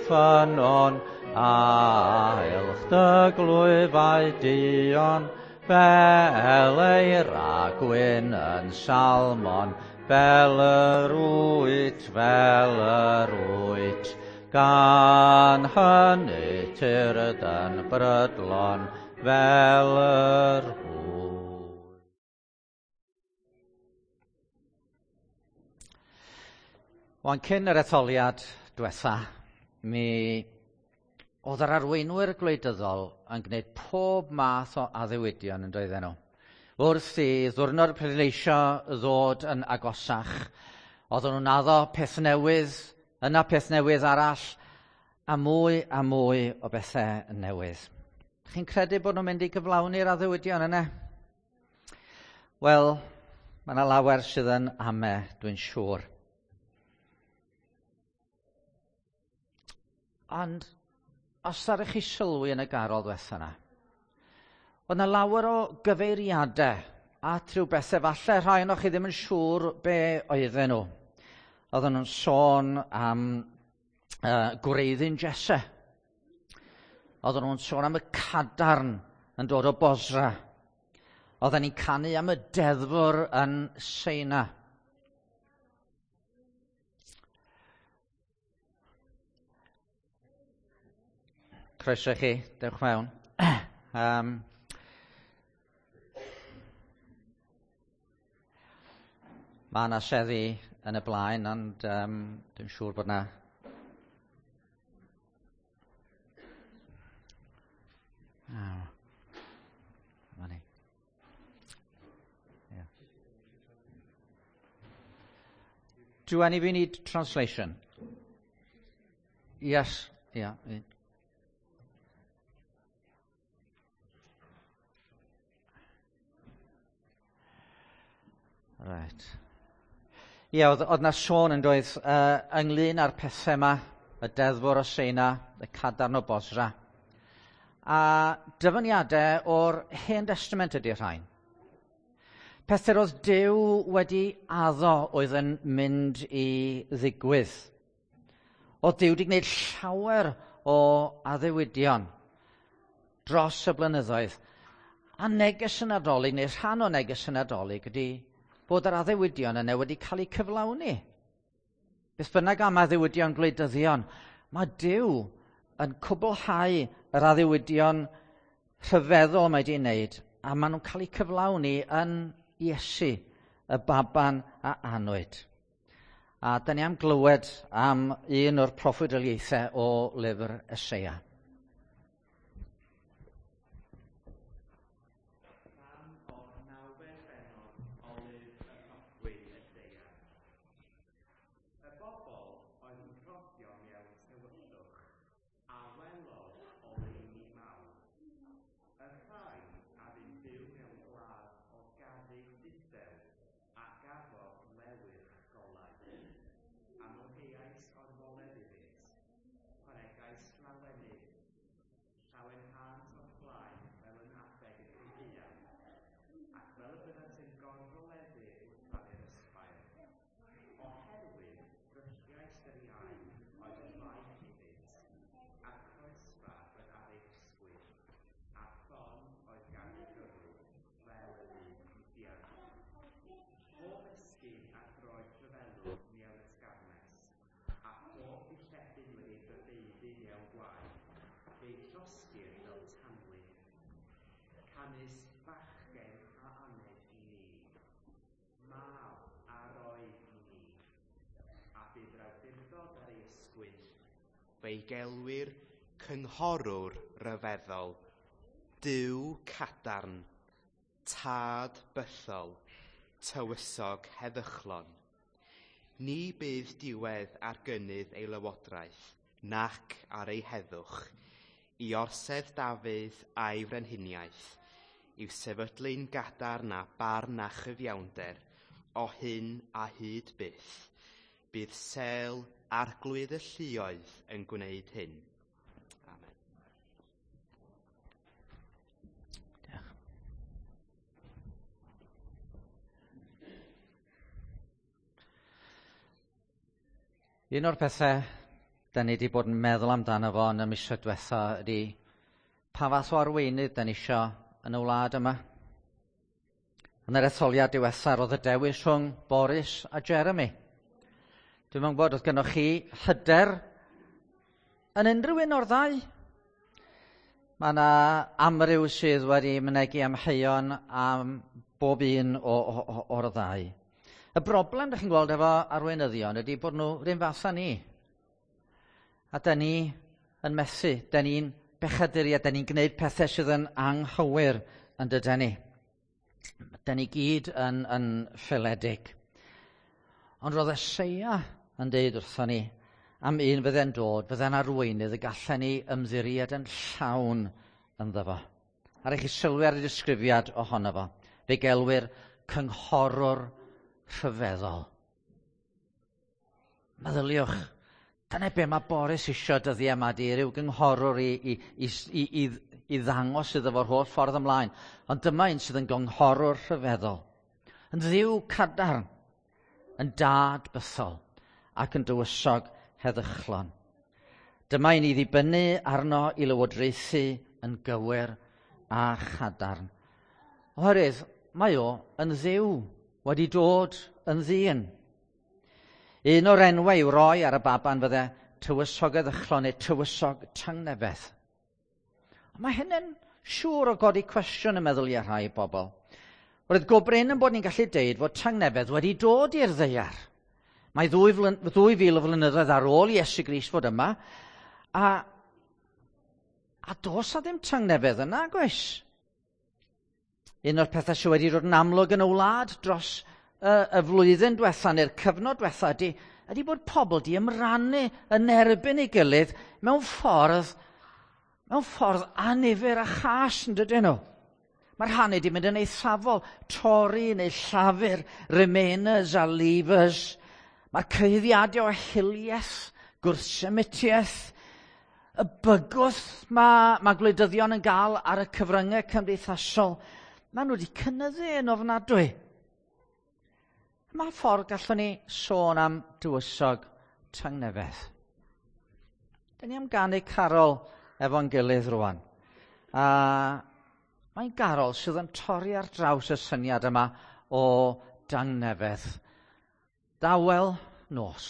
Ffynnon, a elch dy glwyfau duon, fel eira gwyn yn Salmon, fel yr wyt, fel yr wyt. Gan hynny tyrd yn brydlon, fel yr wyt. Wan cyn yr etholiad diwetha, mi oedd yr arweinwyr gwleidyddol yn gwneud pob math o addewidion yn doedden nhw. Wrth i ddwrnod pleidleisio ddod yn agosach, oedden nhw'n addo peth newydd, yna peth newydd arall, a mwy o bethau newydd. Chi'n credu bod nhw'n mynd i gyflawni'r addewidion yna? Wel, mae yna lawer sydd yn ame, dwi'n siŵr. Ond, os ddaru chi sylwi yn y garol ddiwetha yna, oedd yna lawer o gyfeiriadau at rhyw bethau, falle rhai ohonoch chi ddim yn siŵr be oedden nhw. Oedden nhw'n sôn am gwreiddyn Jesse. Oedden nhw'n sôn am y cadarn yn dod o Bosra. Oedden ni'n canu am y deddfwr yn Seina. Croeso i chi, dewch mewn. Mae yna seddi yn y blaen, ond dwi'n siŵr bod yna... Dyma ni. Yeah. Do any of you need translation? Yes, yeah. Right. Ie, oedd 'na sôn yn doedd ynglyn â'r pethau yma, y deddfwr o Seina, y cadarn o Bosra. A dyfyniadau o'r Hen Testament ydy'r rhain. Pethau roedd Duw wedi addo oedd yn mynd i ddigwydd. Oedd Duw wedi gwneud llawer o addewidion dros y blynyddoedd. A neges y Nadolig, neu rhan o neges y Nadolig, ydy bod yr addewidion yna wedi cael eu cyflawni. Beth bynnag am addewidion gwleidyddion, mae Duw yn cwblhau yr addewidion rhyfeddol mae wedi wneud, a maen nhw'n cael eu cyflawni yn Iesu, y baban a anwyd. A da ni am glywed am un o'r proffwydoliaethau o lyfr Eseia. Fe'i gelwir cynghorwr ryfeddol, Duw cadarn, tad bythol, tywysog heddychlon. Ni bydd diwedd ar gynnydd ei lywodraeth, nac ar ei heddwch, i orsedd Dafydd a'i frenhiniaeth, i'w sefydlu'n gadarn a barn a chyfiawnder, o hyn a hyd byth. Bydd sel arglwydd y lluoedd yn gwneud hyn. Amen. Diolch. Un o'r pethau da ni wedi bod yn meddwl amdano fo yn y misoedd diwetha ydy pa fath o arweinydd da ni isio yn y wlad yma. Yn yr etholiad diwetha roedd y dewis rhwng Boris a Jeremy. Dwi'm yn gwybod, oedd gennoch chi hyder yn unrhyw un o'r ddau? Mae yna amryw sydd wedi mynegi amheuon am bob un o'r ddau. Y broblem ydych chi'n gweld efo arweinyddion ydy bod nhw yr un fath â ni. A da ni yn methu, da ni'n bechaduriaid, da ni'n gwneud pethau sydd yn anghywir yn dydan ni. Da ni gyd yn ffaeledig. Ond roedd Eseia yn deud wrthon ni am un fydde'n dod, fydde'n arweinydd y gallen ni ymddiried yn llawn ynddo fo. A chi sylwi ar y disgrifiad ohono fo. Fe gelwir cynghorwr rhyfeddol. Meddyliwch, dyna be mae Boris isio dyddiau yma, di ryw gynghorwr i ddangos iddo fo'r holl ffordd ymlaen. Ond dyma un sydd yn gynghorwr rhyfeddol. Yn ddiw cadarn, yn dad bythol ac yn dywysog heddychlon. Dyma un i ddibynnu arno i lywodraethu yn gywir a chadarn. Oherwydd mae o yn ddiw, wedi dod yn ddyn. Un o'r enwau i'w roi ar y baban fydde tywysog heddychlon neu tywysog tangnefedd. Ond mae hynny'n siŵr o godi cwestiwn yn meddwl i rhai bobl. Roedd go brin yn bod ni'n gallu deud fod tangnefedd wedi dod i'r ddaear. Mae 2000 o flynyddoedd ar ôl Iesu Grist fod yma, a does a ddim tangnefedd yna, gweis. Un o'r pethau sydd wedi dod yn amlwg yn y wlad dros y flwyddyn diwetha neu'r cyfnod diwetha ydy bod pobl di ymrannu yn erbyn ei gilydd mewn ffordd annifyr a chas, yn dydyn nhw. Mae'r rhannu di mynd yn eithafol, Tory neu Llafur, Remainers a Leavers. Mae'r cyhuddiadau o hiliaeth, gwrthsemitiaeth, y bygwth mae gwleidyddion yn gael ar y cyfryngau cymdeithasol, maen nhw wedi cynyddu yn ofnadwy. Mae ffordd gallwn ni sôn am dywysog tangnefedd. Da ni am ganu carol efo'n gilydd rwan. A mae'n garol sydd yn torri ar draws y syniad yma o dangnefedd. Dawel nos,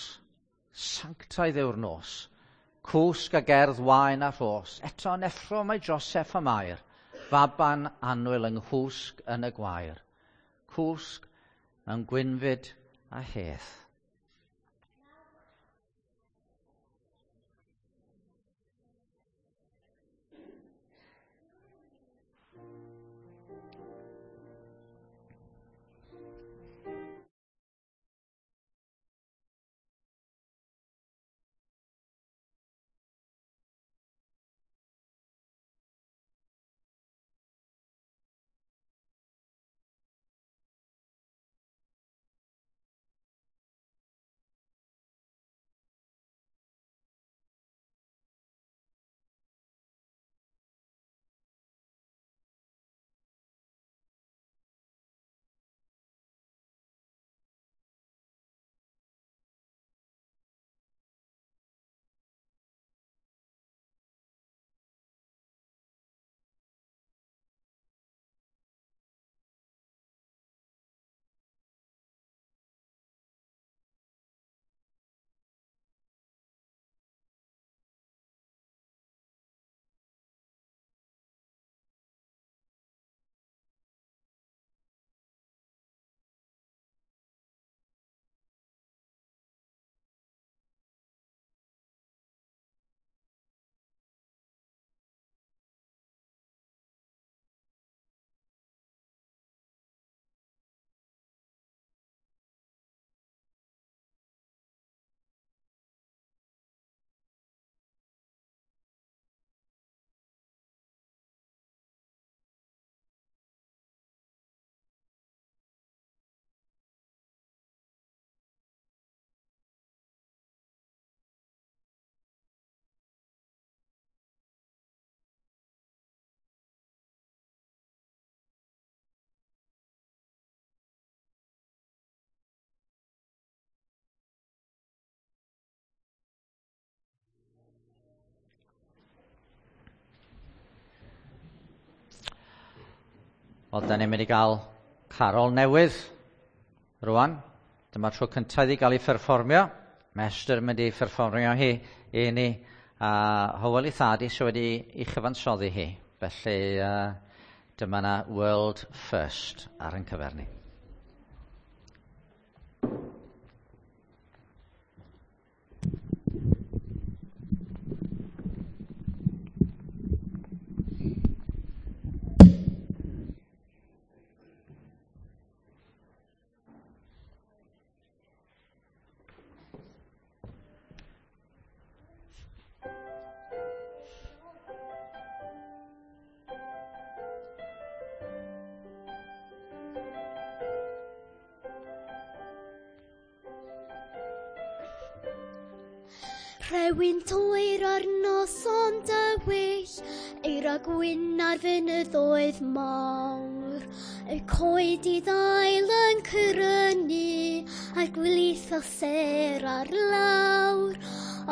sanctaidd yw'r nos, cwsg a gerdd waen a rhos, eto yn effro mae Joseph a Mair, faban annwyl yng nghwsg yn y gwair, cwsg mewn gwynfyd a hedd. Wel, da ni'n mynd i gael carol newydd rwan. Dyma'r tro cyntaf iddi gael ei pherfformio. Mae Esther yn mynd i pherfformio hi i ni. A Hywel ei thad i sydd wedi ei chyfansoddi hi. Felly dyma na World First ar ein cyfer ni. Rhewyn toer ar noson dywyll, eira gwyn ar fynyddoedd mawr. Y coed i ddail yn crynu, a'r gwlith o sêr ar lawr.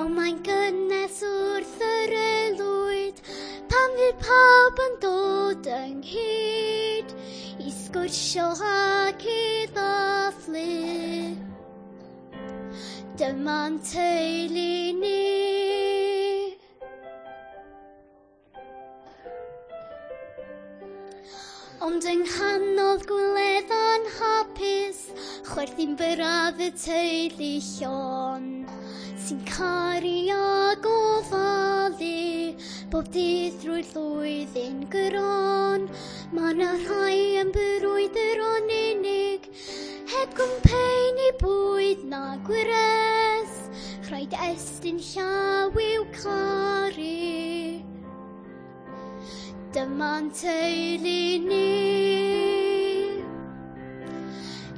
Ond mae'n gynnes wrth yr aelwyd, pan fydd pawb yn dod ynghyd, i sgwrsio ac i ddathlu. Dyma'n teulu ni. Ond yng nghanol gwledda'n hapus, chwerthin byrraf y teulu llon, sy'n caru a gofalu bob dydd drwy'r flwyddyn gron. Mae 'na rhai yn brwydro'n unig, heb gwmpeini bwyd na gwres, rhaid estyn llaw i'w caru. Dyma'n teulu ni.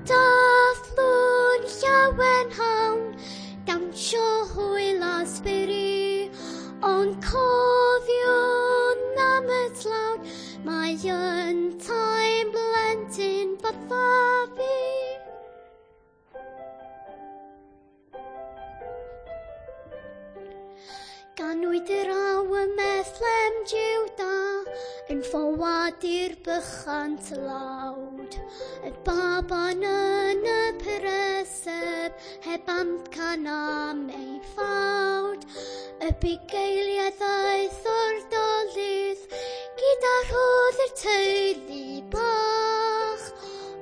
Dathlwn llawen hawn, dawnsio hwyl a sbri, ond cofiwn am y tlawd, mae yntau'n blentyn fatha fi. Ganwyd yr aw ym Methlehem Jiwda, yn ffoadur bychan tlawd. Y baban yn y preseb, heb amcan am ei ffawd. Y bugeiliaid ddaeth o'r dolydd, gyda rhodd i'r teulu bach.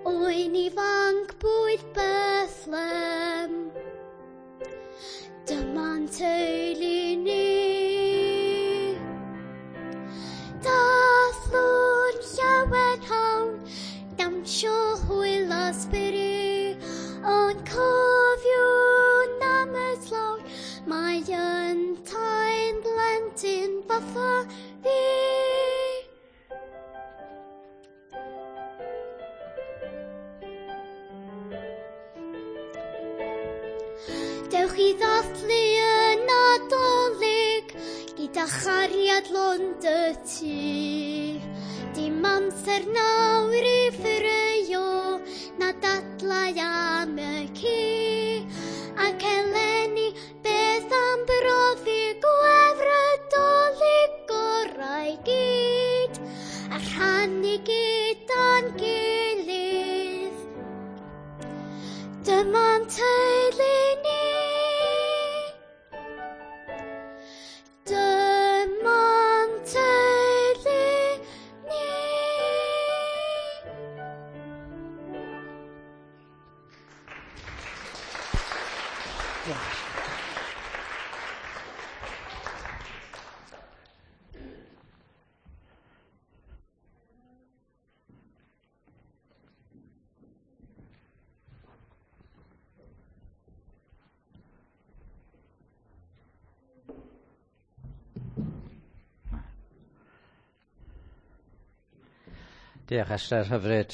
Oen ifanc bwyd Bethlehem. Dyma'n teulu ni. Dathlwn llawen hawn, dawnsio hwyl a sbri, ond cofiwn am y tlawd, mae yntau'n blentyn fatha fi. Dewch i ddathlu y Nadolig gyda chariad lond y tŷ. Dim amser nawr i ffraeo na dadlau am y ci. Ac eleni beth am brofi gwefr y Dolig gorau gyd, a rhannu gyda'n gilydd. Dyma'n teulu ni. Dyma'n teulu ni. Diolch Esther, hyfryd,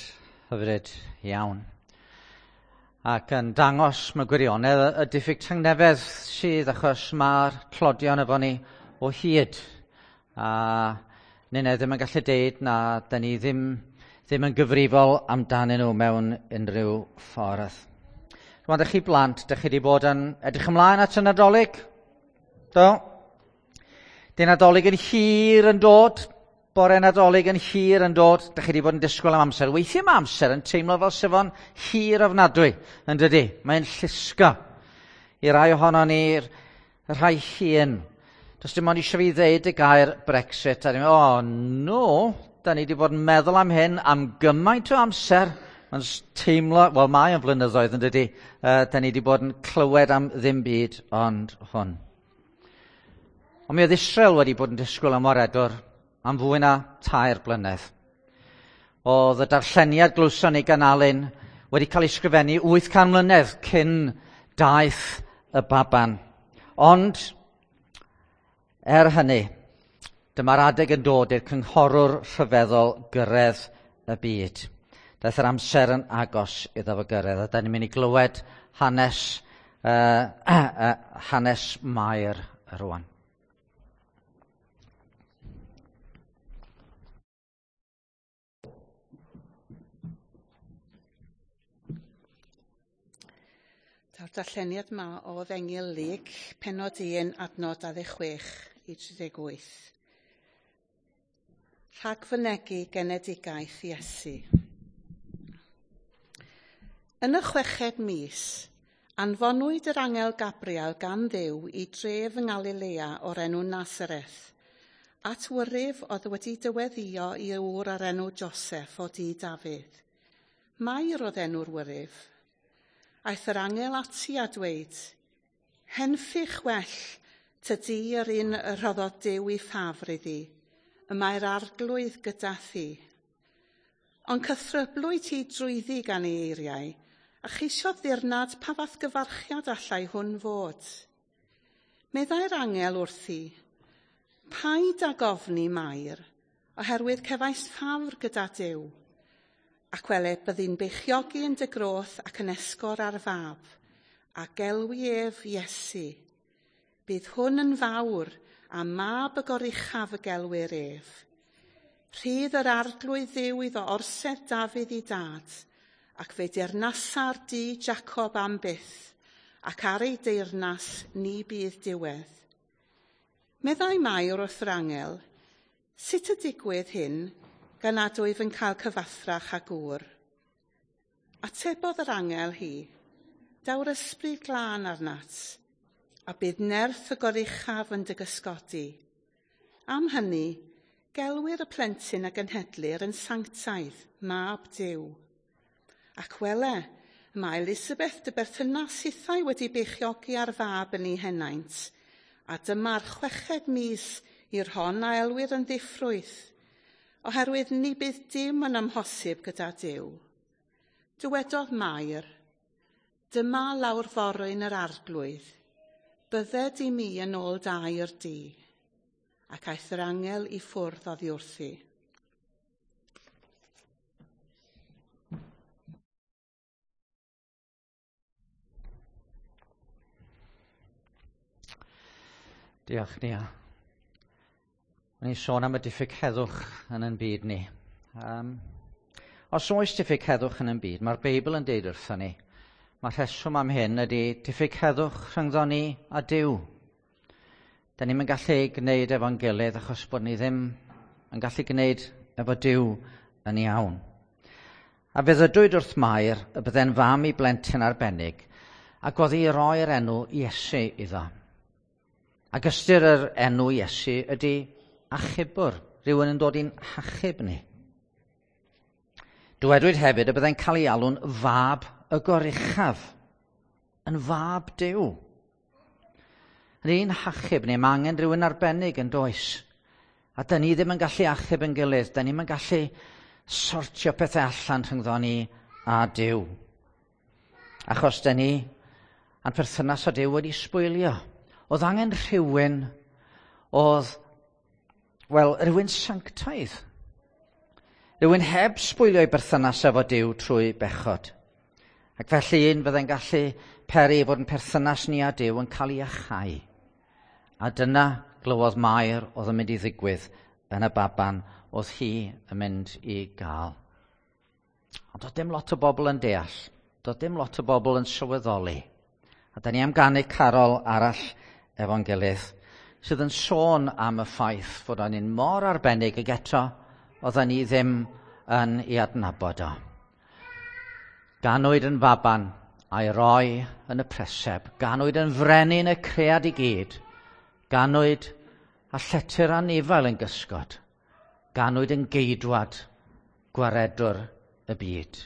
hyfryd iawn. Ac yn dangos mewn gwirionedd y diffyg tangnefedd sydd, achos mae'r tlodion efo ni o hyd. A ninne ddim yn gallu deud na da ni ddim yn gyfrifol amdanyn nhw mewn unrhyw ffordd. Rwan, dych chi blant, dych chi wedi bod yn edrych ymlaen at y Nadolig? Do? Di Nadolig yn hir yn dod, Bore Nadolig yn hir yn dod, da chi wedi bod yn disgwyl am amser. Weithiau mae amser yn teimlo fel sef o'n hir ofnadwy, yn dydy? Mae'n llusgo. I rai ohono ni'r rhai hŷn, does dim ond eisiau fi ddeud y gair Brexit, a ni'n meddwl, oh no, da ni wedi bod yn meddwl am hyn am gymaint o amser. Mae'n teimlo, wel mae yn flynyddoedd yn dydy, da ni wedi bod yn clywed am ddim byd ond hwn. Ond mi oedd Israel wedi bod yn disgwyl am waredwr am fwy na 3 blynedd. Oedd y darlleniad glywson ni gan Alun wedi cael ei sgrifennu 800 mlynedd cyn daeth y baban. Ond, hynny, dyma'r adeg yn dod i'r cynghorwr rhyfeddol gyrraedd y byd. Daeth yr amser yn agos iddo fo gyrraedd, a da ni'n mynd i glywed hanes Mair rwan. Daw'r darlleniad yma o Efengyl Luc, pennod 1, adnod 26 i 38. Rhagfynegi genedigaeth Iesu. Yn y 6fed mis, anfonwyd yr angel Gabriel gan Dduw i dref yng Ngalilea o'r enw Nazareth, at wyryf oedd wedi dyweddio i ŵr o'r enw Joseph o dŷ Dafydd. Mair oedd enw'r wyryf. Aeth yr angel ati a dweud, henffych well, tydi yr un y rhoddodd Duw i ffafr iddi, y mae'r arglwydd gyda thi. Ond cythryblwyd hi drwyddi gan ei eiriau, a cheisiodd ddirnad pa fath gyfarchiad allai hwn fod. Meddai'r angel wrthi, paid ag ofni Mair, oherwydd cefais ffafr gyda Duw. Ac wele, byddi'n beichiogi yn dy groth ac yn esgor ar fab, a gelwi ef Iesu. Bydd hwn yn fawr, a mab y goruchaf y gelwir ef. Rhydd yr arglwydd Dduw iddo orsedd Dafydd i dad, ac fe deyrnasa'r dŷ Jacob am byth, ac ar ei deyrnas ni bydd diwedd. Meddai Mair wrth yr angel, sut y digwydd hyn, gan nad wyf yn cael cyfathrach a gŵr? Atebodd yr angel hi, daw'r ysbryd glân arnat, a bydd nerth y goruchaf yn dy gysgodi. Am hynny, gelwir y plentyn a genhedlir yn sanctaidd, mab Duw. Ac wele, mae Elisabeth dy berthynas hithau wedi beichiogi ar fab yn ei henaint, a dyma'r 6fed mis i'r hon a elwir yn ddiffrwyth, oherwydd ni bydd dim yn amhosib gyda Duw. Dywedodd Mair, dyma lawr forwyn yr arglwydd, bydded i mi yn ôl dair di, ac aeth yr angel i ffwrdd oddi wrthi. Diolch, Nia. O'n i'n sôn am y diffyg heddwch yn ein byd ni. Os oes diffyg heddwch yn ein byd, mae'r Beibl yn deud wrthon ni, mae'r rheswm am hyn ydy diffyg heddwch rhyngddon ni a Duw. Da ni'm yn gallu gwneud efo'n gilydd achos bod ni ddim yn gallu gwneud efo Duw yn iawn. A fe ddydwyd wrth Mair y bydde'n fam i blentyn arbennig ac oedd hi roi'r enw Iesu iddo. Ac ystyr yr enw Iesu ydy achubwr, rhywun yn dod i'n hachub ni. Dywedwyd hefyd y byddai'n cael ei alw'n fab y goruchaf, yn fab Duw. Yn ein hachub ni, mae angen rhywun arbennig yn does. A dyn ni ddim yn gallu achub yn gilydd, dyn ni'm yn gallu sortio pethau allan rhyngddo ni a Duw. Achos dyn ni, a'n perthynas â Duw wedi sbwylio. Oedd angen rhywun oedd, wel, rhywun sanctaidd. Rhywun heb sbwylio ei berthynas efo Duw trwy bechod. Ac felly un fyddai'n gallu peri fod yn perthynas ni a Duw yn cael ei achau. A dyna glywodd Mair oedd yn mynd i ddigwydd yn y baban oedd hi yn mynd i gael. Ond doedd dim lot o bobl yn deall. Doedd dim lot o bobl yn sylweddoli. A da ni am ganu carol arall efo'n gilydd. sydd yn sôn am y ffaith fod o'n un mor arbennig ag eto oedden ni ddim yn ei adnabod o. Ganwyd yn faban a'i roi yn y preseb. Ganwyd yn frenin y cread i gyd. Ganwyd a llety'r anifail yn gysgod. Ganwyd yn geidwad, gwaredwr y byd.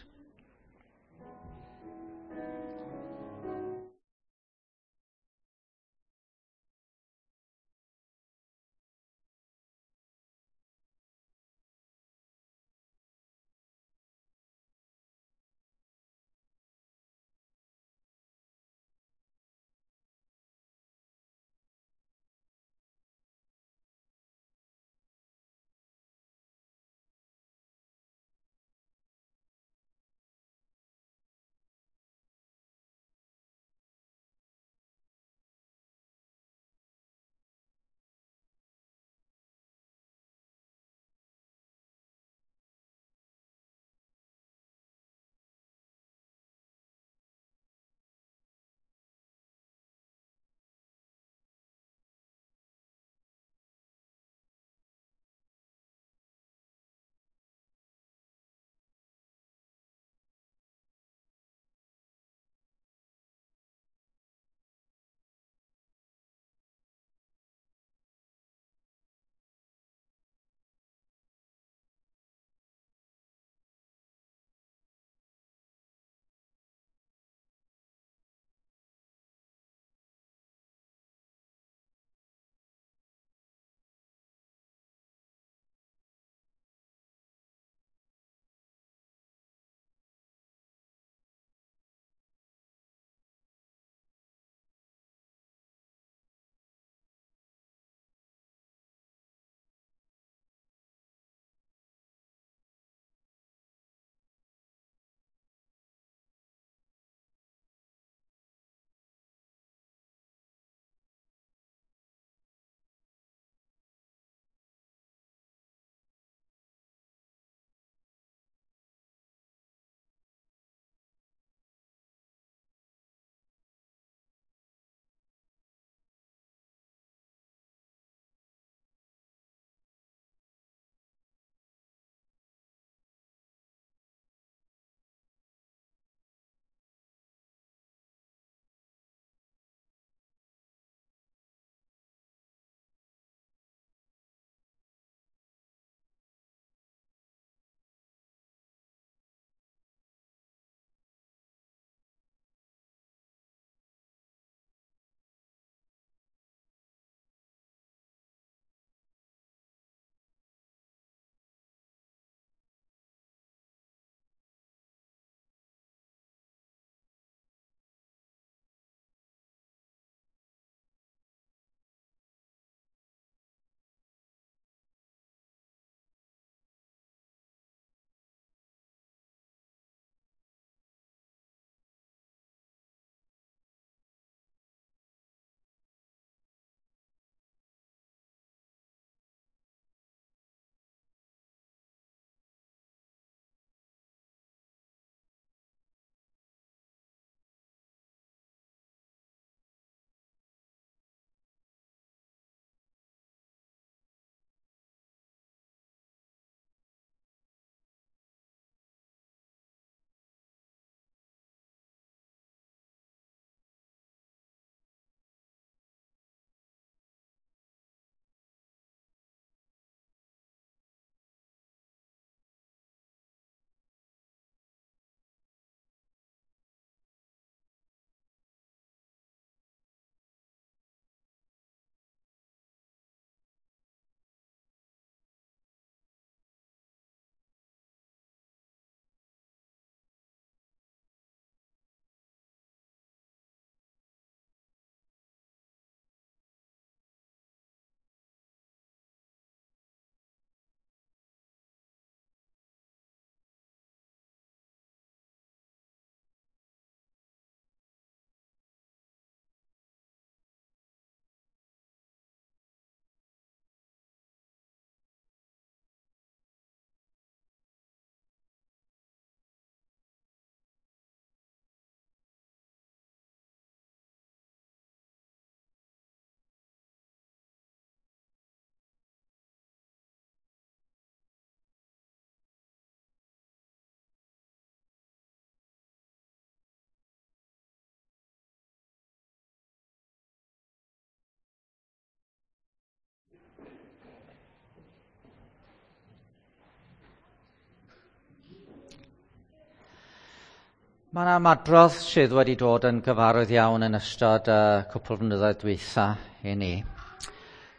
Mae yna ymadrodd sydd wedi dod yn gyfarwydd iawn yn ystod y cwpl flynyddoedd dwytha i ni.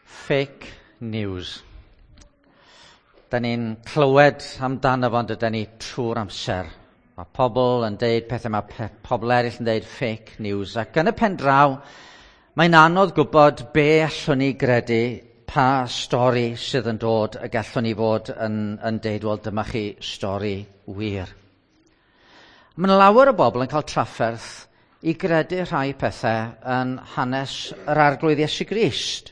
Fake news. Da ni'n clywed amdano fo, dydan ni, trwy'r amser. Mae pobl yn deud pethau, mae pobl eraill yn deud fake news. Ac yn y pen draw, mae'n anodd gwybod be allwn ni gredu, pa stori sydd yn dod y gallwn ni fod yn deud, wel, dyma chi stori wir. Mae yna lawer o bobl yn cael trafferth i gredu rhai pethau yn hanes yr Arglwydd Iesu Grist.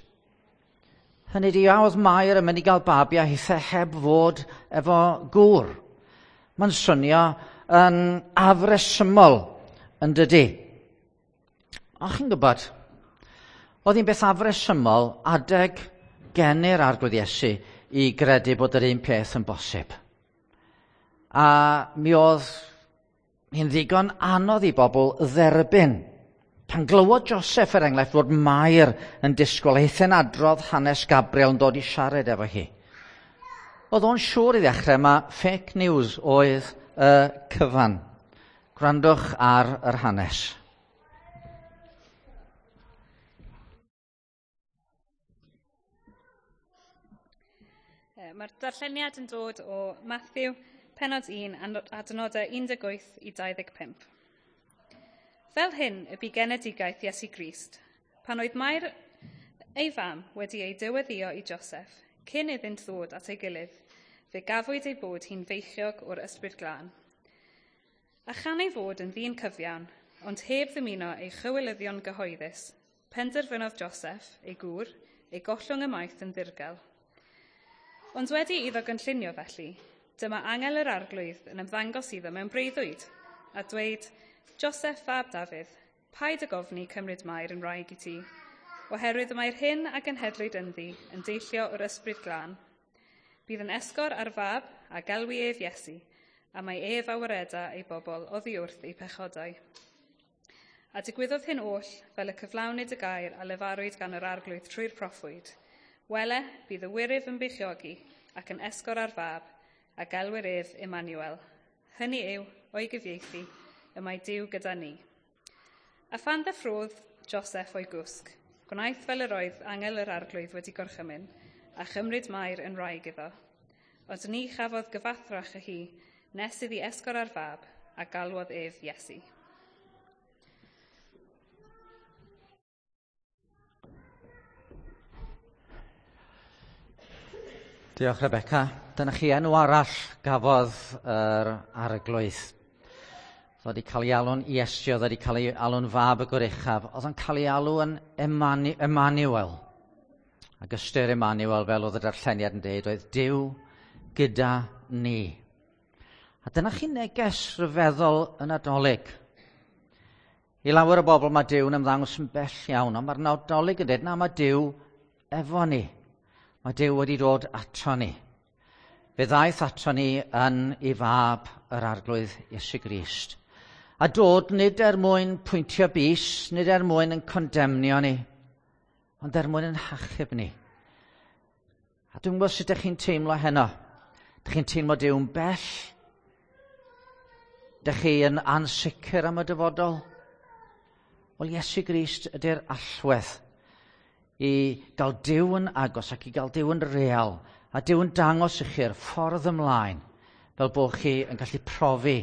Hynny ydi, a oedd Mair yn mynd i gael babi a hithe heb fod efo gŵr. Mae'n swnio yn afresymol, yn dydy. A chi'n gwybod, oedd hi'n beth afresymol adeg geni'r Arglwydd Iesu i gredu bod yr un peth yn bosib. A mi oedd hi'n ddigon anodd i bobl dderbyn. Pan glywodd Joseph, er enghraifft, fod Mair yn disgwyl, eitha'n adrodd hanes Gabriel yn dod i siarad efo hi. Oedd o'n siŵr i ddechrau ma fake news oedd y cyfan. Gwrandwch ar yr hanes. Mae'r darlleniad yn dod o Matthew, pennod 1, adnodau 18 i 25. Fel hyn y bu genedigaeth Iesu Grist, pan oedd Mair ei fam wedi ei dyweddio i Joseph, cyn iddynt ddod at ei gilydd, fe gafwyd ei bod hi'n feichiog o'r Ysbryd Glân. A chan ei fod yn ddyn cyfiawn, ond heb ddymuno ei chywilyddion gyhoeddus, penderfynodd Joseph, ei gŵr, ei gollwng ymaith yn ddirgel. Ond wedi iddo gynllunio felly, dyma angel yr Arglwydd yn ymddangos iddo mewn breuddwyd, a dweud, Joseph fab Dafydd, paid ag ofni cymryd Mair yn wraig i ti, oherwydd mae'r hyn a genhedlwyd ynddi yn deillio o'r Ysbryd Glân. Bydd yn esgor ar fab a gelwi ef Iesu, a mae ef a wareda ei bobl oddi wrth ei pechodau. A digwyddodd hyn oll fel y cyflawnid y gair a lefarwyd gan yr Arglwydd trwy'r proffwyd. Wele, bydd y wyryf yn beichiogi ac yn esgor ar fab, a gelwir ef Emmanuel. Hynny yw, o'i gyfieithu, y mae Duw gyda ni. A phan ddeffrodd Joseph o'i gwsg, gwnaeth fel yr oedd angel yr Arglwydd wedi gorchymyn, a chymryd Mair yn wraig iddo. Ond ni chafodd gyfathrach â hi, nes iddi esgor ar fab, a galwodd ef Iesu. Diolch, Rebecca. Dyna chi enw arall gafodd yr Arglwydd. Oedd wedi cael ei alw'n Iesu, oedd wedi cael ei alw'n fab y Goruchaf, oedd yn cael ei alw yn Emmanuel. Ac ystyr Emmanuel, fel oedd y darlleniad yn dweud, oedd Duw gyda ni. A dyna chi neges rhyfeddol y Nadolig. I lawer o bobl mae Duw yn ymddangos yn bell iawn, ond mae'r Nadolig yn dweud, na, mae Duw efo ni. Mae Duw wedi dod ato ni. Fe ddaeth ato ni yn ei fab yr Arglwydd Iesu Grist. A dod nid er mwyn pwyntio bys, nid er mwyn yn condemnio ni, ond er mwyn yn hachub ni. A dwi'n gwybod sut ydych chi'n teimlo heno. Ydych chi'n teimlo Duw'n bell? Ydych chi yn ansicr am y dyfodol? Wel, Iesu Grist ydy'r allwedd i gael Duw yn agos ac i gael Duw yn real, a Duw yn dangos i chi'r ffordd ymlaen, fel bod chi yn gallu profi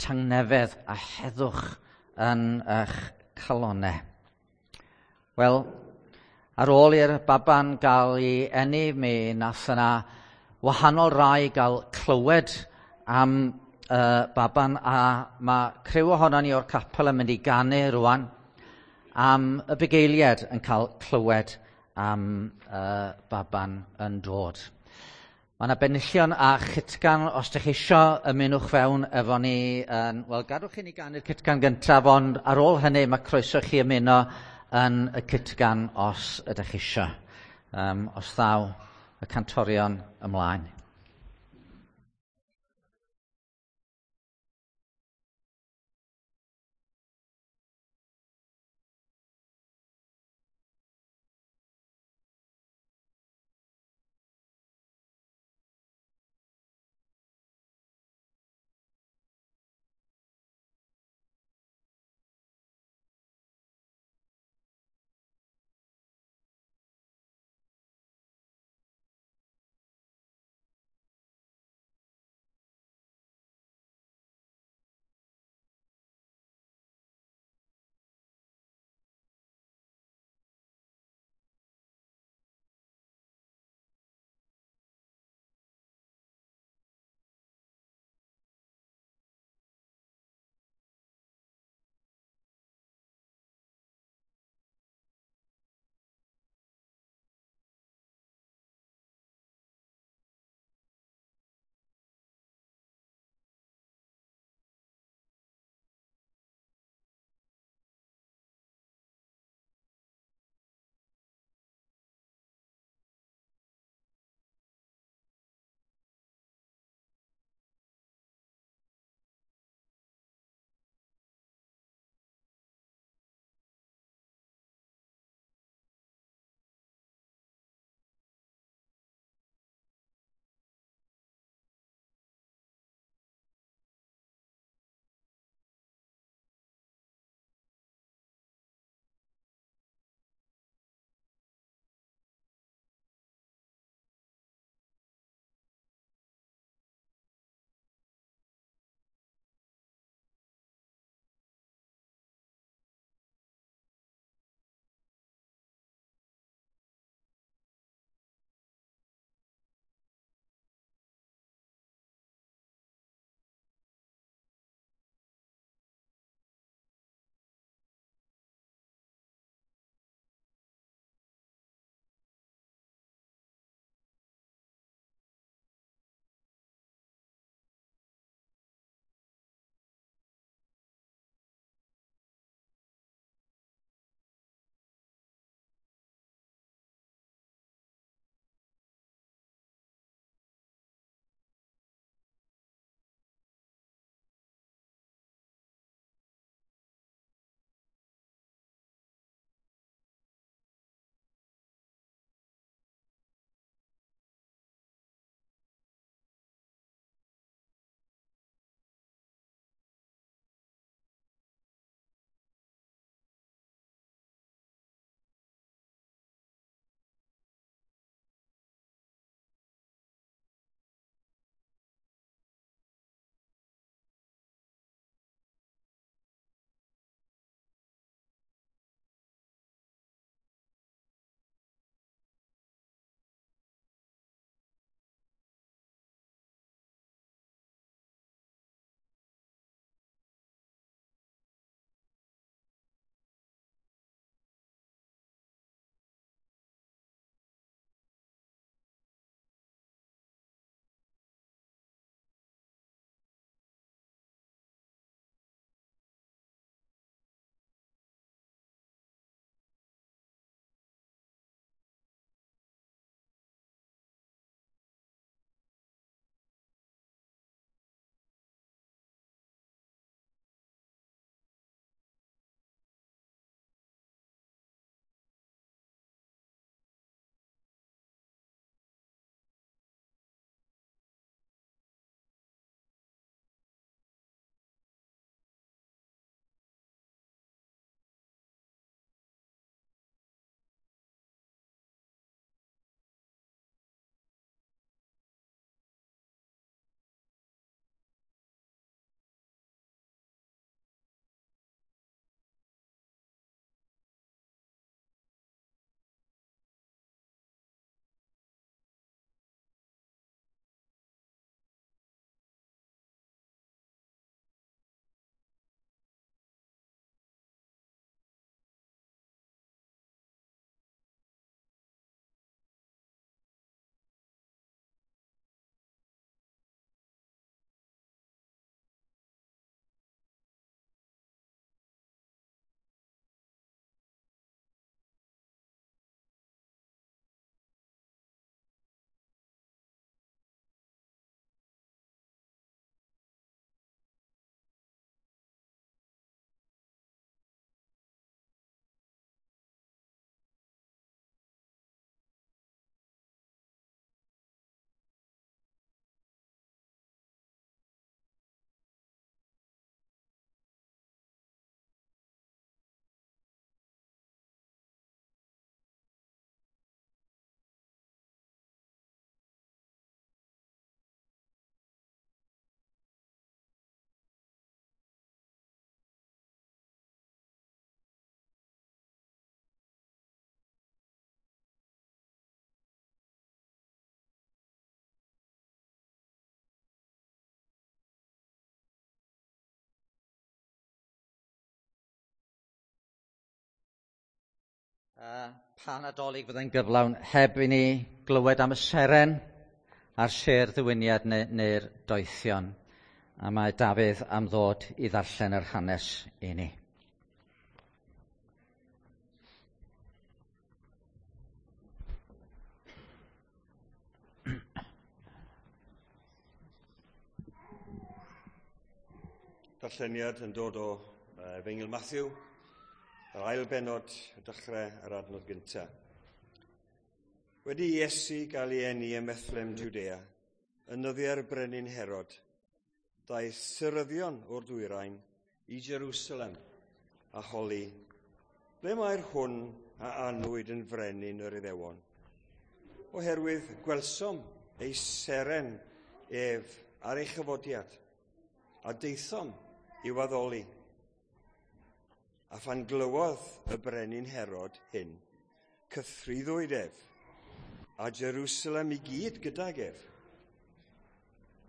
tangnefedd a heddwch yn eich calonau. Wel, ar ôl i'r baban gael ei eni, mi nath yna wahanol rai gael clywed am baban, a mae criw ohonon ni o'r capel yn mynd i ganu rwan am y bugeiliad yn cael clywed am baban yn dod. Mae yna benillion a chytgan, os ydych chi isio ymunwch fewn efo ni. Wel, gadwch i ni ganu'r cytgan gyntaf, ond ar ôl hynny mae croeso chi ymuno yn y cytgan os ydych chi isio. Os ddaw y cantorion ymlaen. Pa Nadolig fyddai'n gyflawn heb i ni glywed am y seren a'r sêr ddiwyniad neu'r doethion. A mae Dafydd am ddod i ddarllen yr hanes i ni. Darlleniad yn dod o Efengyl Matthew, yr ail bennod, y dechrau yr adnod gyntaf. Wedi i Iesu gael ei eni ym Methlehem, Judea, yn nyddiau'r brenin Herod, daeth syryddion o'r dwyrain i Jerusalem a holi, ble mae'r hwn a anwyd yn frenin yr Iddewon? Oherwydd gwelsom ei seren ef ar ei chyfodiad, a daethom i'w addoli. A phan glywodd y brenin Herod hyn, cythruddwyd ef, a Jerusalem i gyd gydag ef.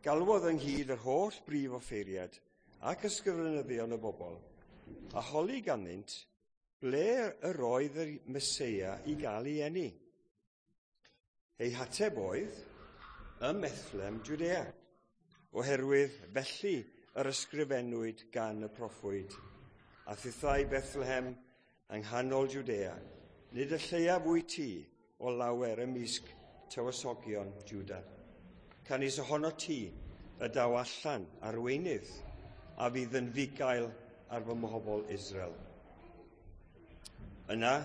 Galwodd ynghyd yr holl brif offeiriad ac ysgrifenyddion y bobl, a holi ganddynt ble yr oedd y Meseia i gael ei eni. Ei hateb oedd, ym Methlehem, Judea, oherwydd felly yr ysgrifennwyd gan y proffwyd, a thithau Bethlehem yng nghanol Judea, nid y lleiaf wyt ti o lawer ymysg tywysogion Juda. Canys ohono ti y daw allan arweinydd a fydd yn fugail ar fy mhobl Israel. Yna,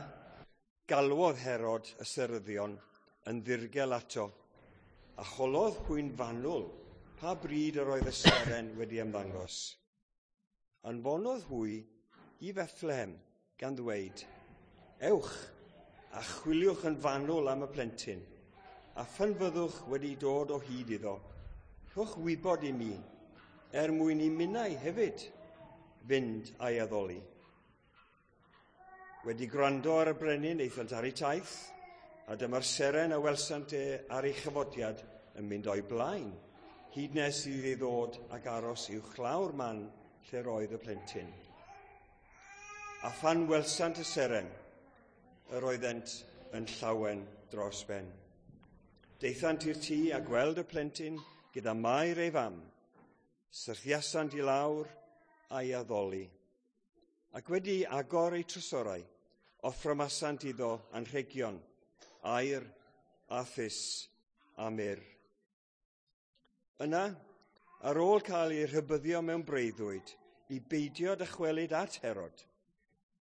galwodd Herod y seryddion yn ddirgel ato, a cholodd hwy'n fanwl pa bryd yr oedd y seren wedi ymddangos. Anfonodd hwy i Bethlehem gan ddweud, ewch a chwiliwch yn fanwl am y plentyn, a phan fyddwch wedi dod o hyd iddo, rhowch wybod i mi, er mwyn i minnau hefyd fynd a'i addoli. Wedi gwrando ar y brenin, aethant ar eu taith, a dyma'r seren a welsant e ar ei chyfodiad yn mynd o'i blaen, hyd nes iddi ddod ac aros i'w chlawr man lle roedd y plentyn. A phan welsant y seren, yr oeddent yn llawen dros ben. Daethant i'r tŷ a gweld y plentyn gyda Mair ei fam, syrthiasant i lawr a'i addoli. Ac wedi agor eu trysorau, offrymasant iddo anrhegion, aur a thus a myrr. Yna, ar ôl cael ei rhybuddio mewn breuddwyd i beidio dychwelyd at Herod,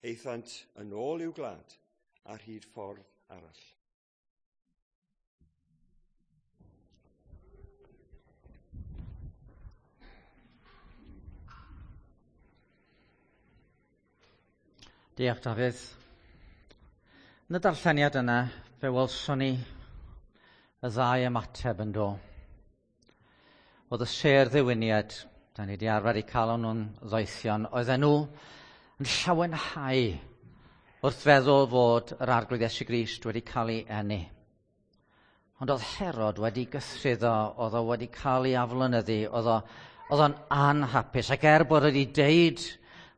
aethant yn ôl i'w gwlad ar hyd ffordd arall. Diolch, Dafydd. Yn y darlleniad yna, fe welson ni y ddau ymateb yn do. Oedd y sêr ddiwyniad, da ni wedi arfer i cael nhw'n ddoethion, oedden nhw yn llawenhau wrth feddwl fod yr Arglwydd Iesu Grist wedi cael ei eni. Ond oedd Herod wedi gythruddo, oedd o wedi cael ei aflonyddu, oedd o'n anhapus, ac er bod wedi deud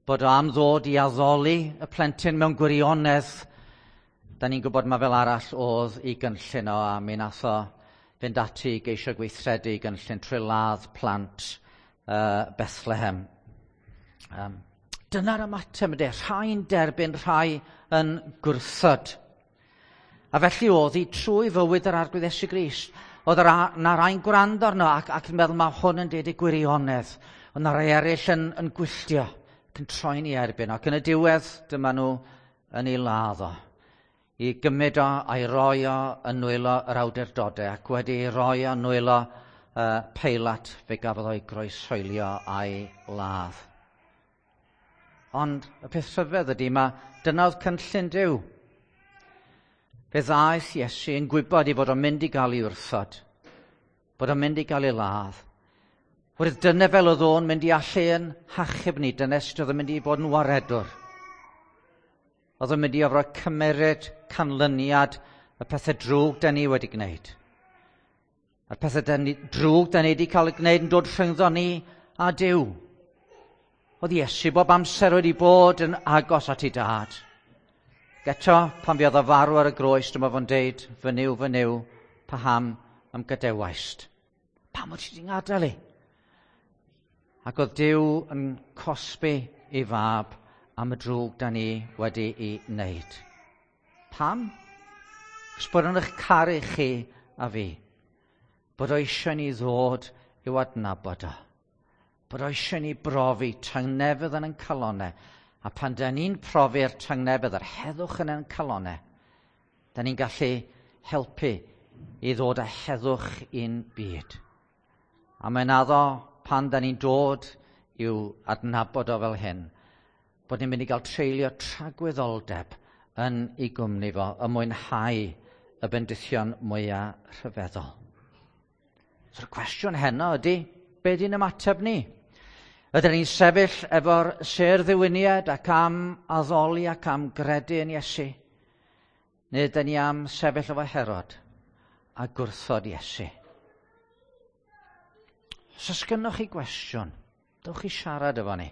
bod o am ddod i addoli y plentyn mewn gwirionedd, da ni'n gwybod mae fel arall oedd i gynllun o, a mi nath o fynd ati i geisio gweithredu i gynllun trwy ladd plant Bethlehem. Dyna'r ymateb ydy, rhai'n derbyn, rhai yn gwrthod. A felly oedd hi trwy fywyd yr Arglwydd Iesu Grist. Oedd na rai'n gwrando arno ac yn meddwl mae hwn yn deud y gwirionedd. Oedd na rai eraill yn gwylltio ac yn troi'n ei erbyn. Ac yn y diwedd dyma nhw yn ei ladd o. I gymryd o a'i roi o yn nwylo yr awdurdodau, ac wedi ei roi o yn nwylo Peilat, fe gafodd o'i groeshoelio a'i ladd. Ond y peth rhyfedd ydy, mae dyna oedd cynllun Duw. Fe ddaeth Iesu yn gwybod ei fod o'n mynd i gael ei wrthod, bod o'n mynd i gael ei ladd. Wrth dyna fel oedd o'n mynd i allu yn hachub ni, dyna sut oedd o'n mynd i fod yn waredwr. Oedd o'n mynd i orfod cymeryd canlyniad y pethau drwg da ni wedi gwneud. A'r pethau drwg da ni wedi cael ei gwneud yn dod rhyngddo ni a Duw. Oedd Iesu bob amser wedi bod yn agos at ei dad. Eto, pan fuodd o farw ar y groes, dyma fo'n deud, fy Nuw, fy Nuw, paham a'm gadawaist? Pam wyt ti wedi ngadael i? Ac oedd Duw yn cosbi ei fab am y drwg da ni wedi ei wneud. Pam? Chos bod o'n eich caru chi a fi. Bod o eisiau ni ddod i'w adnabod o. Bod o eisiau ni brofi tangnefedd yn ein calonau. A pan da ni'n profi'r tangnefedd, yr heddwch yn ein calonau, da ni'n gallu helpu i ddod â heddwch i'n byd. A mae'n addo pan da ni'n dod i'w adnabod o fel hyn, bod ni'n mynd i gael treulio tragwyddoldeb yn ei gwmni fo, y mwynhau y bendithion mwyaf rhyfeddol. So'r cwestiwn heno ydy, be di'n ymateb ni? Ydyn ni'n sefyll efo'r sêr ddiwyniad ac am addoli ac am gredu yn Iesu? Neu ydyn ni am sefyll efo Herod a gwrthod Iesu? Os oes gynnoch chi gwestiwn, dewch i siarad efo ni.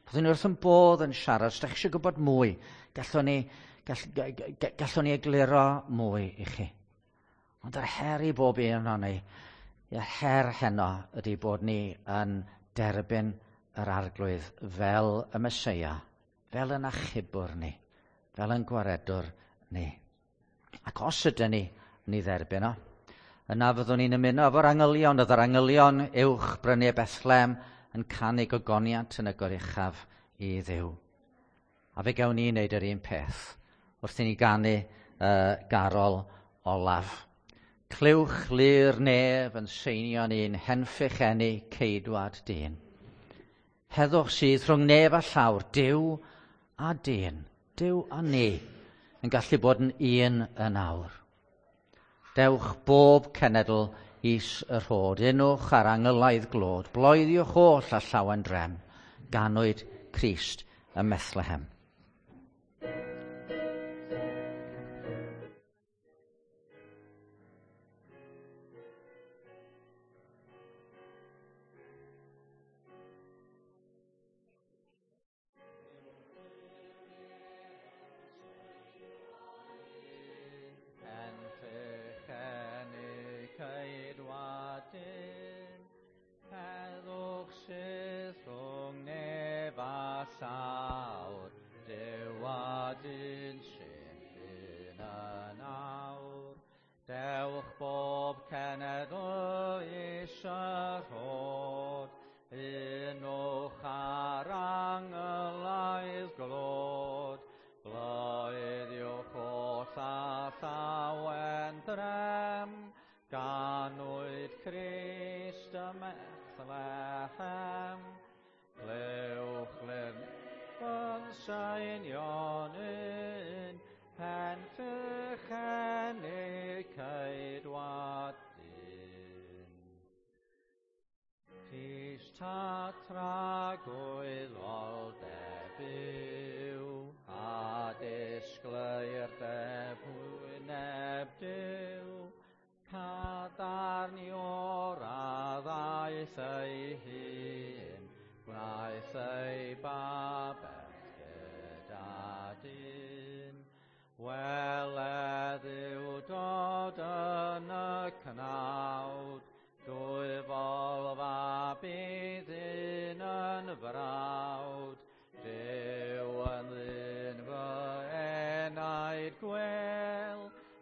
Byddwn ni wrth yn bodd yn siarad. Os ydych chi eisiau gwybod mwy, gallwn ni, gallwn ni egluro mwy i chi. Ond yr her i bob un o'n ni, yr her heno ydy bod ni yn derbyn yr Arglwydd fel y Meseia, fel yn achubwr ni, fel yn gwaredwr ni. Ac os ydyn ni yn ei dderbyn o, yna fyddwn ni'n ymuno efo'r angylion. Oedd yr angylion uwch bryniau Bethlehem yn canu gogoniant yn y goruchaf i Dduw. A fe gawn ni wneud yr un peth wrth i ni ganu garol olaf. Clywch lu'r nef yn seinio'n un henffych eni ceidwad dyn. Heddwch sydd rhwng nef a llawr, Duw a dyn, Duw a ni, yn gallu bod yn un yn awr. Dewch bob cenedl is y rhod, unwch ar angylaidd glod, bloeddiwch oll a llawen drem, ganwyd Crist ym Methlehem.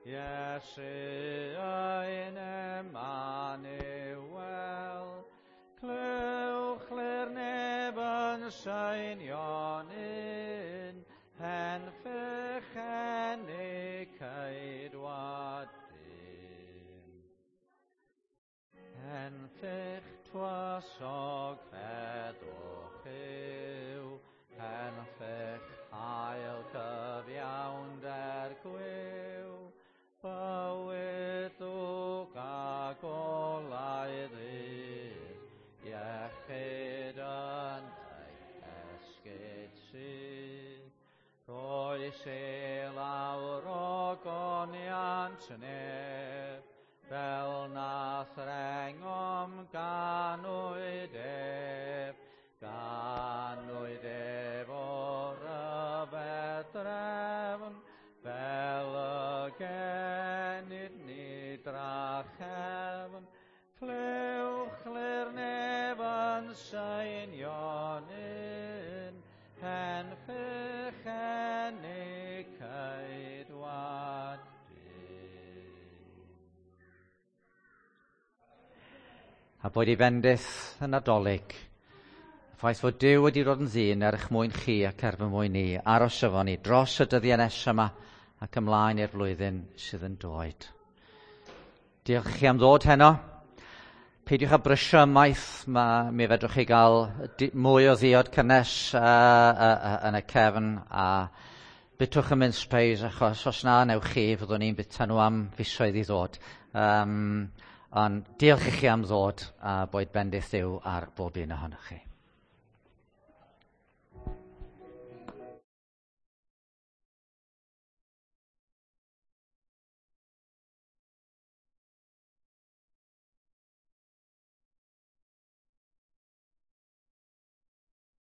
Iesu ein Emmanuel, clywch A boed i fendith y Nadolig. Y ffaith fod Duw wedi dod yn ddyn er eich mwyn chi ac er fy mwyn ni, aros efo ni dros y dyddiau nesaf yma ac ymlaen i'r flwyddyn sydd yn dod. Diolch chi am ddod heno. Peidiwch â brysio ymaith, mi fedrwch chi gael mwy o ddiod cynnes yn y cefn a bitwch y mince pies achos os na newch chi fyddwn ni'n bita nhw am fisoedd i ddod. Ond diolch i chi am ddod a boed bendith Dduw ar bob un ohonoch chi.